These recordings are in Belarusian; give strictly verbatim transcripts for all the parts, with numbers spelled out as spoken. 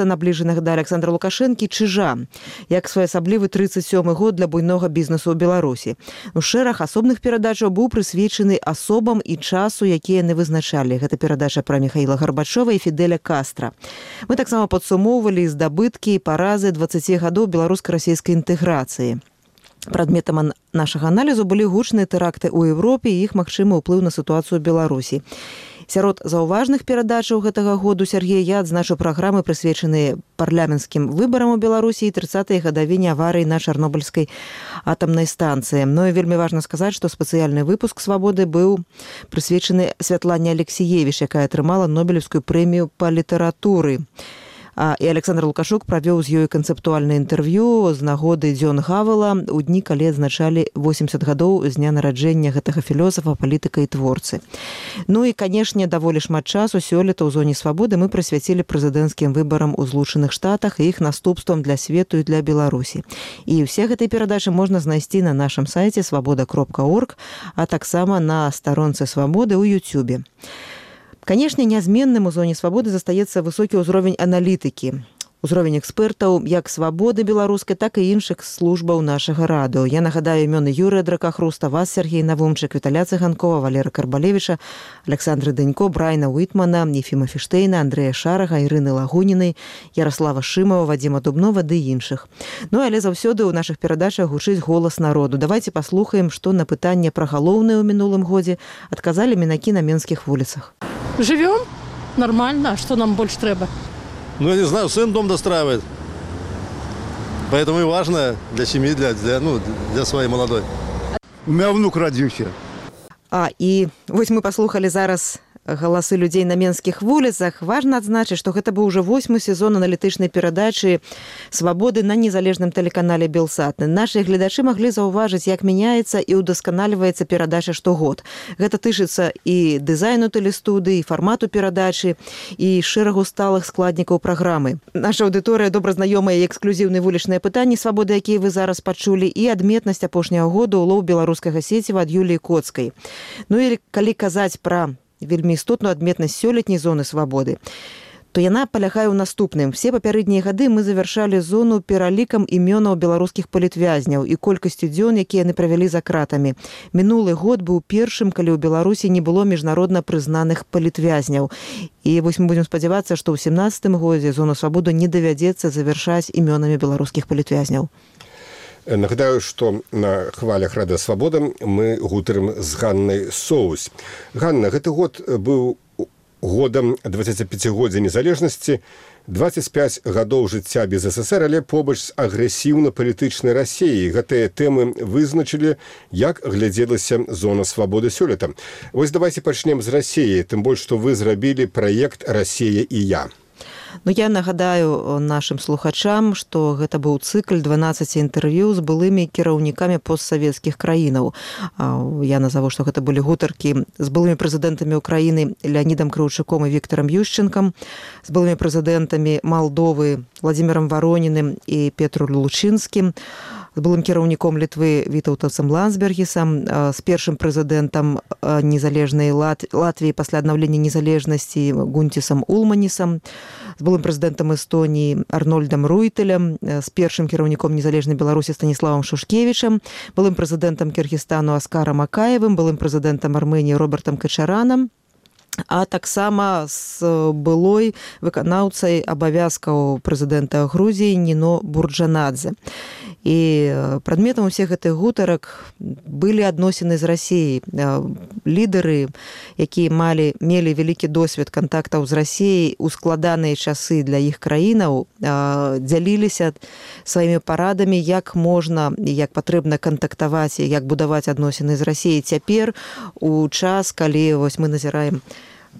набліжаных да Александра Лукашэнкі чыжа, як своеасаблівы тридцать сёмы год для буйнога бізнесу ў Беларусі. У шэраг асобных перадачаў быў прысвечаны асобам і часу, якія яны вызначалі. Гэта перадача пра Михаіла Гарбачова і Фідэля Кастра. Мы таксама падсумоўвалі здабыткі і паразы дваццаці гадоў беларуска-расійскай інтэграцыі. Прадметам нашага аналізу былі гучныя тэракты ў Еўропе і іх магчымы ўплыў на сітуацыю ў Беларусі. Сярод заўважных перадачаў гэтага году, Сергей, я адзначу праграмы, прысвечаныя парламенцкім выбарам у Беларусі і трыццатай гадавіне аварыі на Чарнобыльскай атамнай станцыі. Ну і вельмі важна сказаць, што спецыяльны выпуск «Свабоды» быў прысвечаны Святлане Алексіевіч, якая атрымала Нобелевскую прэмію па літаратуры. А, і Александр Лукашук правёў з ёй канцэптуальнае інтэрв'ю з нагоды дзён Гавела у дні, калі адзначалі восемьдесят гадоў з дня нараджэння гэтага філёзафа, палітыка і творцы. Ну і, канешне, даволі шмат часу сёлета ў зоне свабоды мы прысвяцілі прэзідэнцкім выбарам у Злучаных Штатах і іх наступствам для свету і для Беларусі. І ўсе гэтай перадачы можна знайсці на нашым сайце свабода кропка орг, а таксама на старонцы Свабоды ў Ютюбе. Канешне, нязменным у зоне свабоды застаецца высокі ўзровень аналітыкі, узровень экспертаў як свабоды беларускай, так і іншых службаў нашага радыо. Я нагадаю імёны Юрыя Дракахруста, вас, Сергей Навумчык, Віталя Цыганкова, Валера Карбалевіча, Александры Дэнько, Брайна Уітмана, Ефіма Фіштейна, Андрэя Шарага, Ірыны Лагунінай, Ярослава Шымова, Вадзіма Дубнова ды іншых. Ну, але заўсёды ў нашых перадачах гучыць голас народу. Давайте паслухаем, што на пытанне пра галоўнае ў мінулым годзе адказалі мінакі на менскіх вуліцах. Живем нормально, а что нам больше треба? Ну, я не знаю, сын дом достраивает. Поэтому и важно для семьи, для, для, ну, для своей молодой. У меня внук родился. А, і вось мы паслухалі зараз галасы людзей на менскіх вуліцах. Важна адзначыць, што гэта быў уже восьмы сезон аналітычнай перадачы «Свабоды» на незалежным тэлеканале «Белсат». Нашы гледачы маглі заўважыць, як мяняецца і ўдасканаліваецца перадача штогод. Гэта тычыцца і дызайну тэлестудыі, і фармату перадачы, і шэрагу сталых складнікаў праграмы. Наша аўдыторыя добра знаёмая і эксклюзіўныя вулічныя пытанні «Свабоды», якія вы зараз пачулі, і адметнасць апошняга году ўлоў беларускага сеціва ад Юліі Коцкай. Ну і калі казаць пра вельмі істотную адметнасць сёлетняй зоны свабоды, то яна палягае ў наступным. Все папярэднія гады мы завяршалі зону пералікам імёнаў беларускіх палітвязняў і колькасцю дзён, якія яны правялі за кратамі. Мінулы год быў першым, калі ў Беларусі не было міжнародна прызнаных палітвязняў. І вось мы будзем спадзявацца, што ў сямнадцатым годзе зону свабоду не давядзецца завяршаць імёнамі беларускіх палітвязняў. Нагадаю, што на хвалях Рада Свабода мы гутарым з Ганнай Соус. Ганна, гэты год быў годам дваццаціпяцігоддзя незалежнасці, дваццаць пяць гадоў жыцця без СССР, але побач з агрэсіўна-палітычнай Расіяй. Гэтыя тэмы вызначылі, як глядзелася зона свабоды сёлета. Вось давайте пачнем з Расіі, тым больш, што вы зрабілі праект «Расія і я». Ну, я нагадаю нашим слухачам, што гэта быў цыкль дванаццаці інтэрв'ю з былымі кіраўнікамі постсавецкіх краінаў. Я назову, што гэта былі гутаркі з былымі прэзідэнтамі Украіны Леонідам Крыўчуком і Віктарам Ющенкам, з былымі прэзідэнтамі Малдовы Владзімірам Вароніным і Петру Лучынскім, з былым кіраўніком Літвы Вітаўтасам Ландсбергісам, з першым прэзідэнтам незалежнай Латвіі пасля аднаўлення незалежнасці Гунтісам Улманісам, з былым прэзідэнтам Эстоніі Арнольдам Руйтэлем, з першым кіраўніком незалежнай Беларусі Станіславам Шушкевічам, былым прэзідэнтам Кіргізстану Аскарам Акаевым, былым прэзідэнтам Арменіі Робертам Качаранам, а таксама з былой выканаўцай абавязкаў прэзідэнта Грузіі Ніно Бурджанадзе. І прадметам усіх гэтых гутарак былі адносіны з Расіяй. Лідары, якія малі, мелі вялікі досвед кантактаў з Расіяй у складаныя часы для іх краінаў, дзяліліся сваімі парадамі, як можна і як патрэбна кантактаваць і як будаваць адносіны з Расіяй цяпер у час, калі вось мы назіраем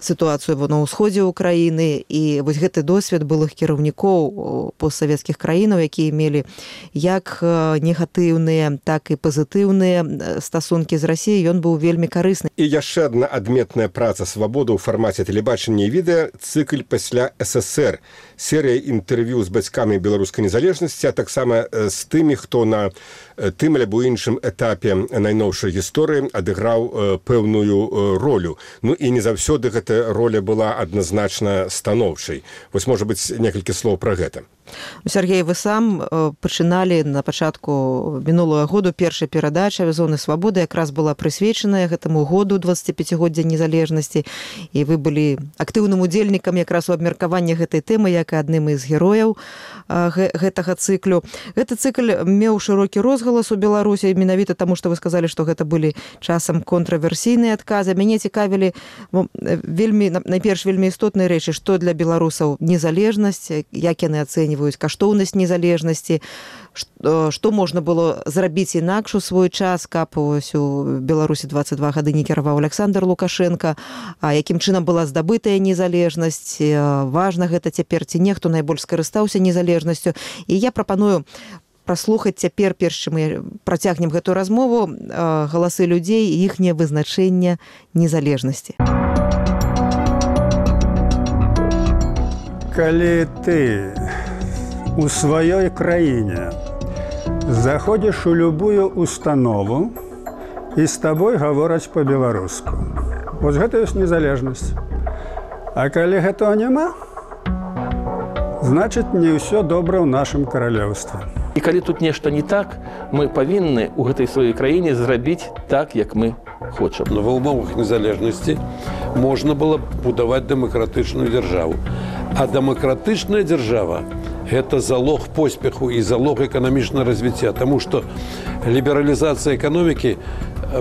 сітуацыю на ўсходзе ўкраіны. І вось гэты досвед былых кіраўнікоў постсавецкіх краінаў, якія мелі як негатыўныя, так і пазітыўныя стасункі з Расіяй, ён быў вельмі карысны. І яшчэ адна адметная праца «Свабода» ў фармаце тэлебачання і відэа – цыкль пасля СССР. Серыя інтэрв'ю з бацькамі беларускай незалежнасці, а таксама з тымі, хто на тым альбо іншым этапе найноўшай гісторыі адыграў пэўную ролю. Ну і не заўсёды гэта роля была адназначна станоўчай. Вось, можа быць, некалькі слоў пра гэта. Сергей, вы сам пачыналі на пачатку мінулага году першая перадача «Зоны свабоды» якраз была прысвечаная гэтаму году дваццаціпяцігоддзя незалежнасці, і вы былі актыўным удзельнікам якраз у абмеркаванні гэтай тэмы як адным з герояў гэтага цыклю. Гэты цыкль меў шырокі розгалас у Беларусі менавіта таму, што вы сказалі, што гэта былі часам контраверсійныя адказы. Мяне цікавілі вельмі, найперш вельмі істотныя рэчы, што для беларусаў незалежнасць, як яны ацэньваюць каштоўнасць незалежнасці, што, што можна было зрабіць інакш у свой час, каб ось у Беларусі дваццаць два гады не кіраваў Александр Лукашенко, а якім чынам была здабытая незалежнасць, важна гэта цяпер ці не, хто найбольш скарыстаўся незалежнасцю. І я прапаную праслухаць цяпер, перш чым мы працягнем гэтую размову, галасы людзей і іхняе вызначэнне незалежнасці. Калі ты у сваёй краіне заходзіш у любую установу і з табой гавораць па-беларуску. Вось гэта ёсць незалежнасць. А калі гэтага няма, значыць, не ўсё добра ў нашым каралеўстве. І калі тут нешта не так, мы павінны ў гэтай сваёй краіне зрабіць так, як мы хочам. Ва ўмовах незалежнасці можна было будаваць дэмакратычную дзяржаву. А дэмакратычная дзяржава – гэта залог поспеху і залог эканамічнага развіцця, таму што лібералізацыя эканомікі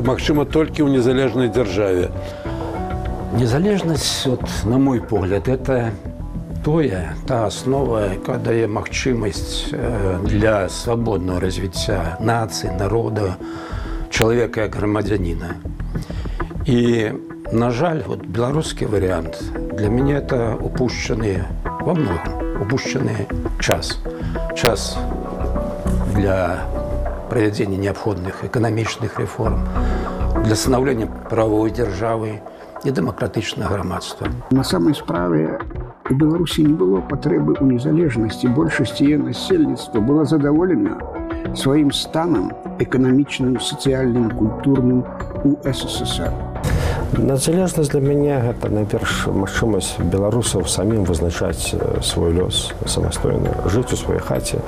магчыма толькі ў незалежнай дзяржаве. Незалежнасць, от, на мой погляд, это тое, та основа, якая дае магчымасць для свабоднага развіцця нацыі, народа, чалавека як грамадзяніна. І, на жаль, вот беларускі варыянт для мяне это упущены во многом, упущены час. Час для правядзення неабходных эканамічных рэформ, для станаўлення правовой дзяржавы і дэмакратычнага грамадства. На самай справе у Беларусі не было патрэбы ў незалежнасці. Большасць яе насельніцтва была задаволена сваім станам эканамічным, сацыяльным, культурным у СССР. Незалежнасць для мяне гэта найперш магчымасць беларусаў самім вызначаць свой лёс самастойна, жыць у сваёй хаце.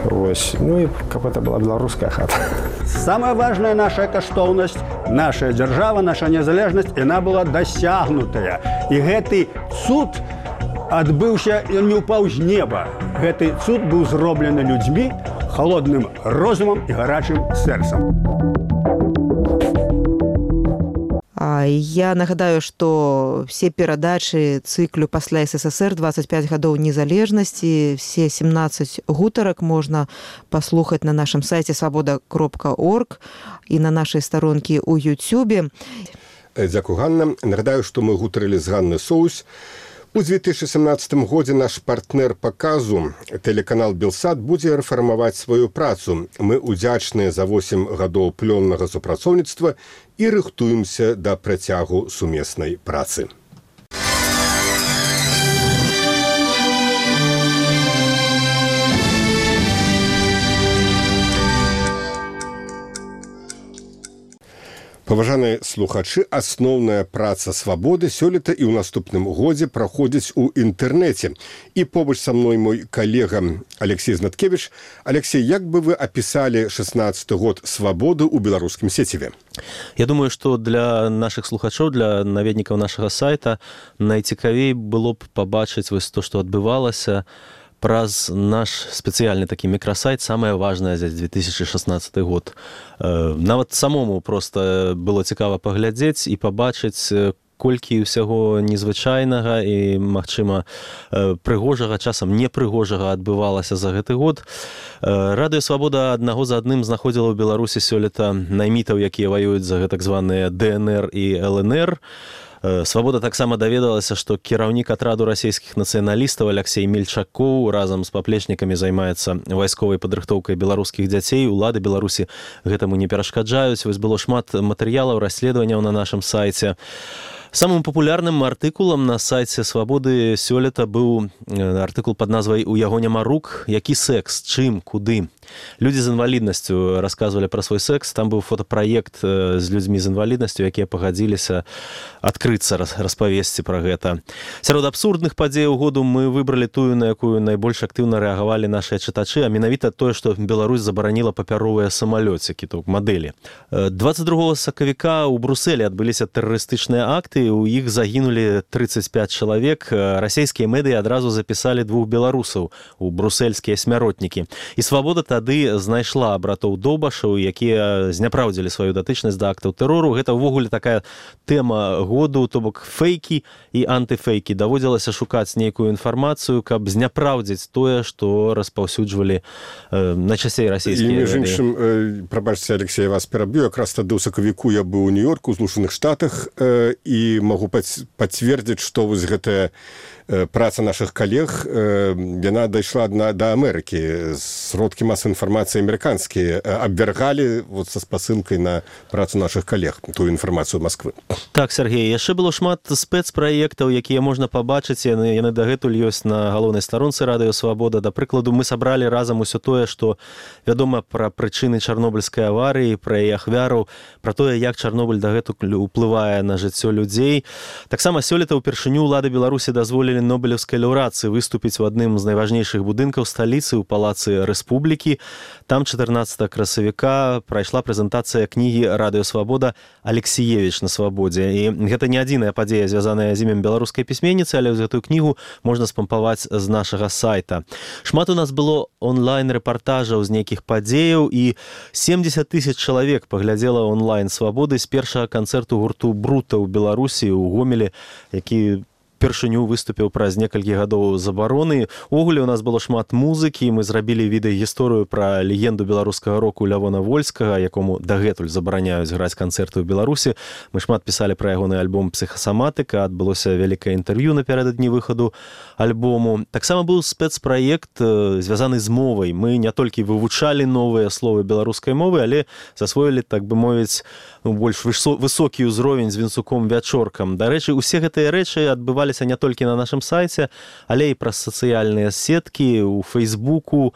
Вось. Ну і каб гэта была беларуская хата. Самая важная наша каштоўнасць, наша дзяржава, наша незалежнасць, яна была дасягнутая. І гэты цуд адбыўся, ён не ўпаў з неба. Гэты цуд быў зроблены людзьмі, халодным розумам і гарачым сэрцам. Я нагадаю, што все перадачы цыклю пасля СССР дваццаць пяць гадоў незалежнасці, все семнадцаць гутарак можна паслухаць на нашым сайце свабода кропка орг і на нашай старонкі ў Ютюбе. Дзякую, Ганна. Нагадаю, што мы гутарылі з Ганнай Соус. У две тысячи семнадцатым годзе наш партнер паказу, тэлеканал «Белсат», будзе рэфармаваць сваю працу. Мы удзячныя за восем гадоў плённага супрацоўніцтва і рыхтуемся да працягу сумеснай працы. Паважаныя слухачы, асноўная праца свабоды сёлета і ў наступным годзе праходзіць у інтэрнэце. І побач са мной мой калега Алексей Знаткевич. Алексей, як бы вы апісалі шэснаццаты год свабоды ў беларускім сеціве? Я думаю, што для нашых слухачоў, для наведнікаў нашага сайта найцікавей было б пабачыць вось то, што адбывалася праз наш спецыяльны такі мікрасайт «Самае важнае за две тысячи шестнадцатый год». Нават самому проста было цікава паглядзець і пабачыць, колькі ўсяго незвычайнага і, магчыма, прыгожага, часам непрыгожага адбывалася за гэты год. Радыё «Свабода» аднаго за адным знаходзіла ў Беларусі сёлета наймітаў, якія ваююць за так званыя Д Н Р і Л Н Р. «Свабода» таксама даведалася, што кіраўнік атраду расійскіх нацыяналістаў Алексей Мельчакоў разам з паплечнікамі займаецца вайсковай падрыхтоўкай беларускіх дзяцей. Улады Беларусі гэтаму не перашкаджаюць. Вось было шмат матэрыялаў, расследаванняў на нашым сайце. Самым папулярным артыкулам на сайце Свабоды сёлета быў артыкул пад назвай «У яго няма рук. Які секс? Чым? Куды?». Людзі з інваліднасцю расказвалі пра свой секс. Там быў фотапраект з людзьмі з інваліднасцю, якія пагадзіліся адкрыцца, распавесці пра гэта. Сярод абсурдных падзеяў году мы выбралі тую, на якую найбольш актыўна рэагавалі нашыя чытачы, а менавіта тое, што Беларусь забараніла папяровыя самалёцікі, то мадэлі. дваццаць другога сакавіка ў Брусэлі адбыліся тэрарыстычныя акты, у іх загінулі трыццаць пяць чалавек. Расійскія медыі адразу запісалі двух беларусаў у брусельскія смяротнікі. І Свабода тады знайшла братоў Добашаў, якія зняпраўдзілі сваю датычнасць да актаў тэрору. Гэта ўвогуле такая тэма году, то бок фейкі і антыфейкі. Даводзілася шукаць нейкую інфармацыю, каб зняпраўдзіць тое, што распаўсюджвалі э, найчасцей расійскія медыі. І, між іншым, э, прабачце, Алексей, я вас пераб'ю. Якраз тады ў сакавіку я быў у Нью-Йорку, у Злучаных Штатах, э, і могу пацвердзіць, што вось гэтая праца нашых калег, яна дайшла да Амерыкі. Сродкі масавай інфармацыі амерыканскія абвяргалі вот са спасылкай на працу нашых калег, тую інфармацыю Масквы. Так, Сергей, яшчэ было шмат спецпраектаў, якія можна пабачыць, яны, яны дагэтуль ёсць на галоўнай старонцы Радыё Свабода. Да прыкладу, мы сабралі разам усё тое, што вядома пра прычыны чарнобыльскай аварыі, пра яе ахвяраў, пра тое, як Чарнобыль дагэтуль уплывае на жыццё людзей. Таксама сёлета ўпершыню ўлады Беларусі дазволілі Нобелевскай лаўрэацыі выступіць у адным з найважнейшых будынкаў сталіцы ў палацы Рэспублікі. Там чатырнаццатага красавіка прайшла прэзентацыя кнігі «Радыё Свабода» Алексіевіч на свабодзе. І гэта не адзіная падзея, звязаная з імем беларускай пісьменніцы, але гэтую кнігу можна спампаваць з нашага сайта. Шмат у нас было онлайн-рэпартажаў з нейкіх падзеяў, і семдзесят тысяч чалавек паглядзела онлайн Свабоды з першага канцэрту гурту «Брута» ў Беларусі, у Гомелі, які першыню выступіў праз некалькі гадоў забароны. Увогуле у нас было шмат музыкі, мы зрабілі відэагісторыю пра легенду беларускага року Лявона Вольскага, якому дагэтуль забараняюць граць канцэрты ў Беларусі. Мы шмат пісалі пра ягоны альбом «Псіхасаматыка», адбылося вялікае інтэрв'ю напярэдадні выхаду альбому. Таксама быў спецпраект, звязаны з мовай. Мы не толькі вывучалі новыя словы беларускай мовы, але засвоілі, так бы мовіць, ну, больш высокі ўзровень з Вінцуком Вячоркам. Дарэчы, усе гэтыя рэчы адбываліся не толькі на нашым сайце, але і праз сацыяльныя сеткі, у Фейсбуку,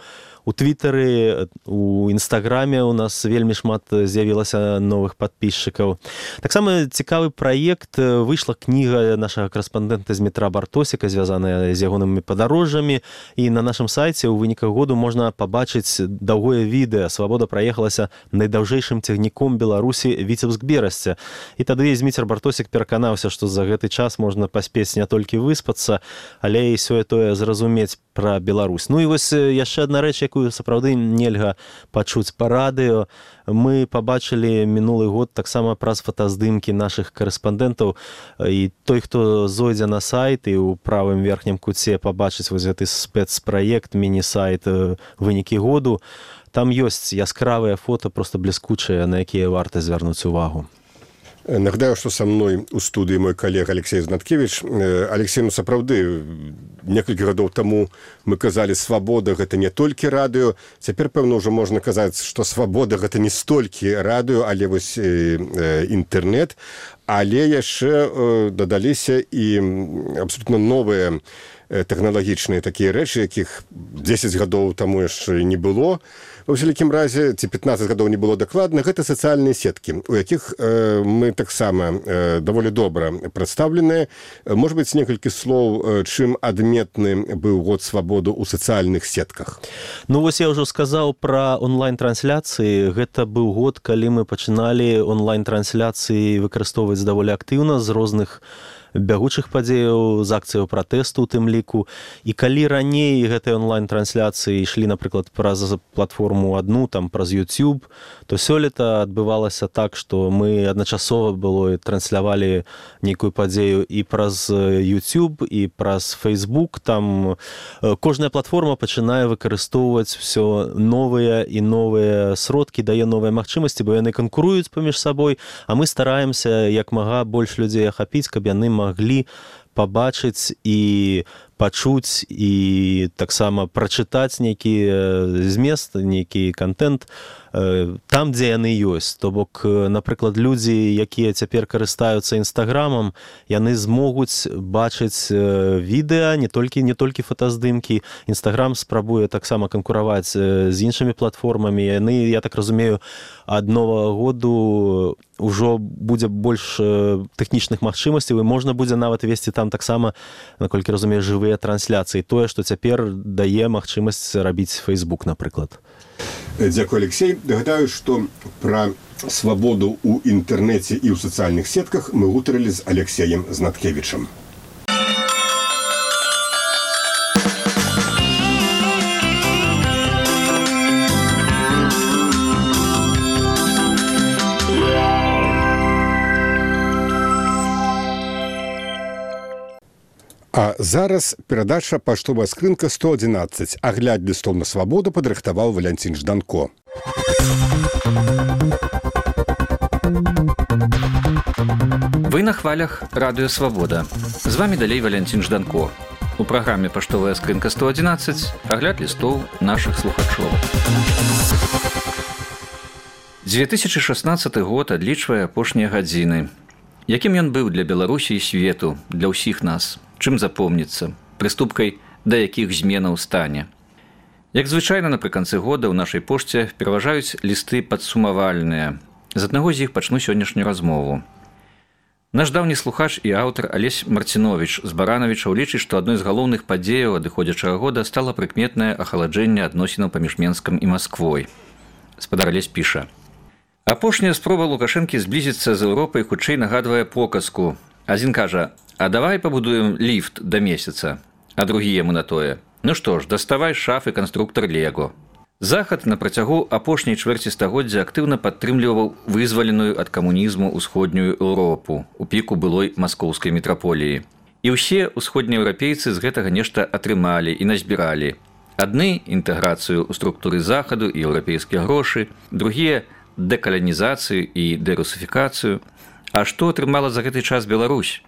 у Твиттары, у Інстаграме у нас вельмі шмат з'явілася новых падпісчыкаў. Таксама цікавы праект, выйшла кніга нашага карэспандэнта з метра Бартосіка, звязаная з ягонымі падарожжамі, і на нашым сайце ў выніках году можна пабачыць даўгое відэа. Свабода праехалася найдаўжэйшым цягніком Беларусі Віцебск-Берасце. І тады Зміцер Бартосік пераканаўся, што за гэты час можна паспець не толькі выспацца, але і сёе-тое зразумець пра Беларусь. Ну і вось яшчэ адна рэч, якую сапраўды нельга пачуць па радыё. Мы пабачылі мінулы год таксама праз фотаздымкі нашых карэспандэнтаў, і той, хто зойдзе на сайт і ў правым верхнім куце пабачыць вось гэты спецпраект, міні-сайт «Вынікі году», там ёсць яскравыя фота, проста бліскучыя, на якія варта звярнуць увагу. Нагадаю, што са мной у студыі мой калега Алексей Знаткевіч. Алексей, ну сапраўды, некалькі гадоў таму мы казалі, свабода гэта не толькі радыё. Цяпер, пэўна, ўжо можна казаць, што свабода гэта не столькі радыё, але вось інтэрнэт. Але яшчэ дадаліся і абсолютна новыя тэхналагічныя такія рэчы, якіх дзесяць гадоў таму яшчэ не было. Ва ўсялякім разе, ці пятнаццаць гадоў не было дакладна, гэта сацыяльныя сеткі, у якіх э, мы таксама э, даволі добра прадстаўленыя. Можа быць, некалькі слоў, э, чым адметны быў год свабоды ў сацыяльных сетках? Ну, вось я ўжо сказаў пра онлайн-трансляцыі. Гэта быў год, калі мы пачыналі онлайн-трансляцыі выкарыстоўваць даволі актыўна з розных бягучых падзеяў, з акцыяў пратэсту у тым ліку. І калі раней гэтыя онлайн-трансляцыі ішлі, напрыклад, праз платформу адну, там, праз YouTube, то сёлета адбывалася так, што мы адначасова было транслявалі нейкую падзею і праз YouTube, і праз Facebook. Там кожная платформа пачынае выкарыстоўваць ўсё новыя і новыя сродкі, дае новыя магчымасці, бо яны канкуруюць паміж сабой, а мы стараемся як мага больш людзей ахапіць, каб яны маглі пабачыць і пачуць і таксама прачытаць нейкі змест, нейкі контент там, дзе яны ёсць. То бок, напрыклад, людзі, якія цяпер карыстаюцца інстаграмам, яны змогуць бачыць відэа, не толькі не толькі фотаздымкі. Інстаграм спрабуе таксама канкураваць з іншымі платформамі. Яны, я так разумею, ад новага году ўжо будзе больш тэхнічных магчымасцяў, і можна будзе нават весці там таксама, наколькі разумею, жывыя трансляцыі. Тое, што цяпер дае магчымасць рабіць Facebook, напрыклад. Дзякуй, Алексей. Нагадаю, што пра свабоду ў інтэрнэце і ў сацыяльных сетках мы гутарылі з Алексеем Знаткевічам. А зараз перадача «Паштовая скрынка сто адзінаццаць». Агляд лістоў на свабоду падрыхтаваў Валянцін Жданко. Вы на хвалях радыё «Свабода». З вами далей Валянцін Жданко. У праграме «Паштовая скрынка сто адзінаццаць» агляд лістоў нашых слухачоў. дзве тысячы шаснаццаты год адлічвае апошнія гадзіны. Якім ён быў для Беларусі і свету, для ўсіх нас? Чым запомніцца? Прыступкай да якіх зменаў стане? Як звычайна, напрыканцы года ў нашай пошце пераважаюць лісты падсумавальныя. З аднаго з іх пачну сённяшнюю размову. Наш даўні слухач і аўтар Алесь Марціновіч з Баранавічаў лічыць, што адной з галоўных падзеяў адыходзячага года стала прыкметнае ахаладжэнне адносінаў паміж Менскам і Масквой. Спадар Алесь піша: апошняя спроба Лукашэнкі зблізіцца з Еўропай хутчэй нагадвае показку. Адзін кажа: а давай пабудуем ліфт да месяца. А другі яму на тое: ну што ж, даставай шафы канструктар Лего. Захад на працягу апошняй чвэрці стагоддзя актыўна падтрымліваў вызваленую ад камунізму ўсходнюю Еўропу у піку былой маскоўскай метраполіі. І ўсе ўсходнееўрапейцы з гэтага нешта атрымалі і назбіралі. Адны інтэграцыю ў структуры захаду і еўрапейскія грошы, другія дэкаланізацыю і дэрусіфікацыю. А што атрымала за гэты час Беларусь?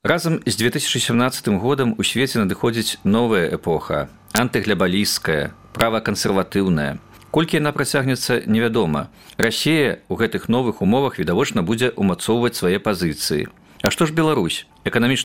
Разам з дзве тысячы сямнаццатым годам у свеце надыходзіць новая эпоха, антыглябалісцкая, правакансерватыўная. Колькі яна працягнецца, невядома. Расія ў гэтых новых умовах відавочна будзе ўмацоўваць свае пазіцыі. А што ж Беларусь? Эканамічна